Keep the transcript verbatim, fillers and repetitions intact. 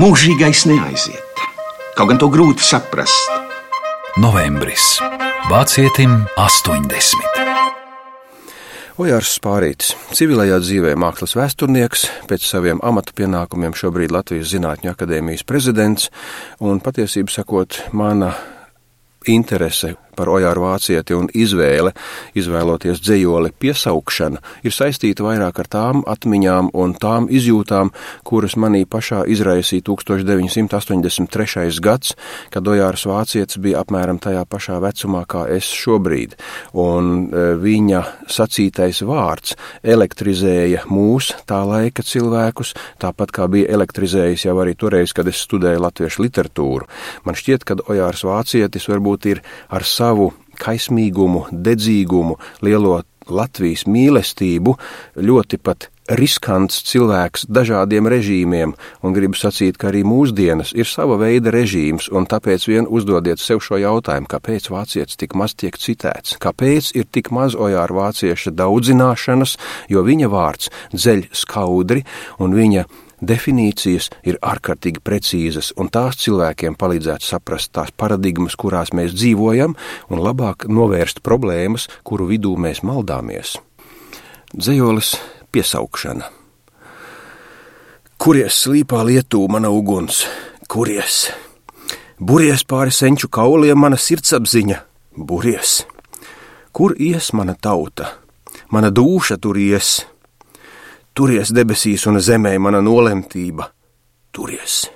Mūžīgais neaiziet, kaut gan to grūti saprast. Novembris. Vācietim astoņdesmit. Ojārs Spārītis, civilajā dzīvē mākslas vēsturnieks, pēc saviem amata pienākumiem šobrīd Latvijas Zinātņu akadēmijas prezidents, un patiesību sakot, mana interese par Ojāru Vācieti un izvēle, izvēloties dzejoli Piesaukšana, ir saistīta vairāk ar tām atmiņām un tām izjūtām, kuras manī pašā izraisīja tūkstoš deviņi simti astoņdesmit trešais gads, kad Ojārs Vācietis bija apmēram tajā pašā vecumā kā es šobrīd, un viņa sacītais vārds elektrizēja mūs, tā laika cilvēkus, tāpat kā bija elektrizējis jau arī toreiz, kad es studēju latviešu literatūru. Man šķiet, ka Ojārs Vācietis varbūt ir ar savu kaismīgumu, dedzīgumu, lielo Latvijas mīlestību, ļoti pat riskants cilvēks dažādiem režīmiem, un gribu sacīt, ka arī mūsdienas ir sava veida režīms, un tāpēc vien uzdodiet sev šo jautājumu, kāpēc vācietis tik maz tiek citēts, kāpēc ir tik maz Ojāra Vācieša daudzināšanas, jo viņa vārds dzeļ skaudri, un viņa definīcijas ir ārkārtīgi precīzas, un tās cilvēkiem palīdzētu saprast tās paradigmas, kurās mēs dzīvojam, un labāk novērst problēmas, kuru vidū mēs maldāmies. Dzejolis Piesaukšana. Kuries slīpā lietū mana uguns, kuries? Buries pāri senču kauliem mana sirdsapziņa, buries. Kur ies mana tauta? Mana dūša tur ies. Turies debesīs un zemē mana nolemtība, turies.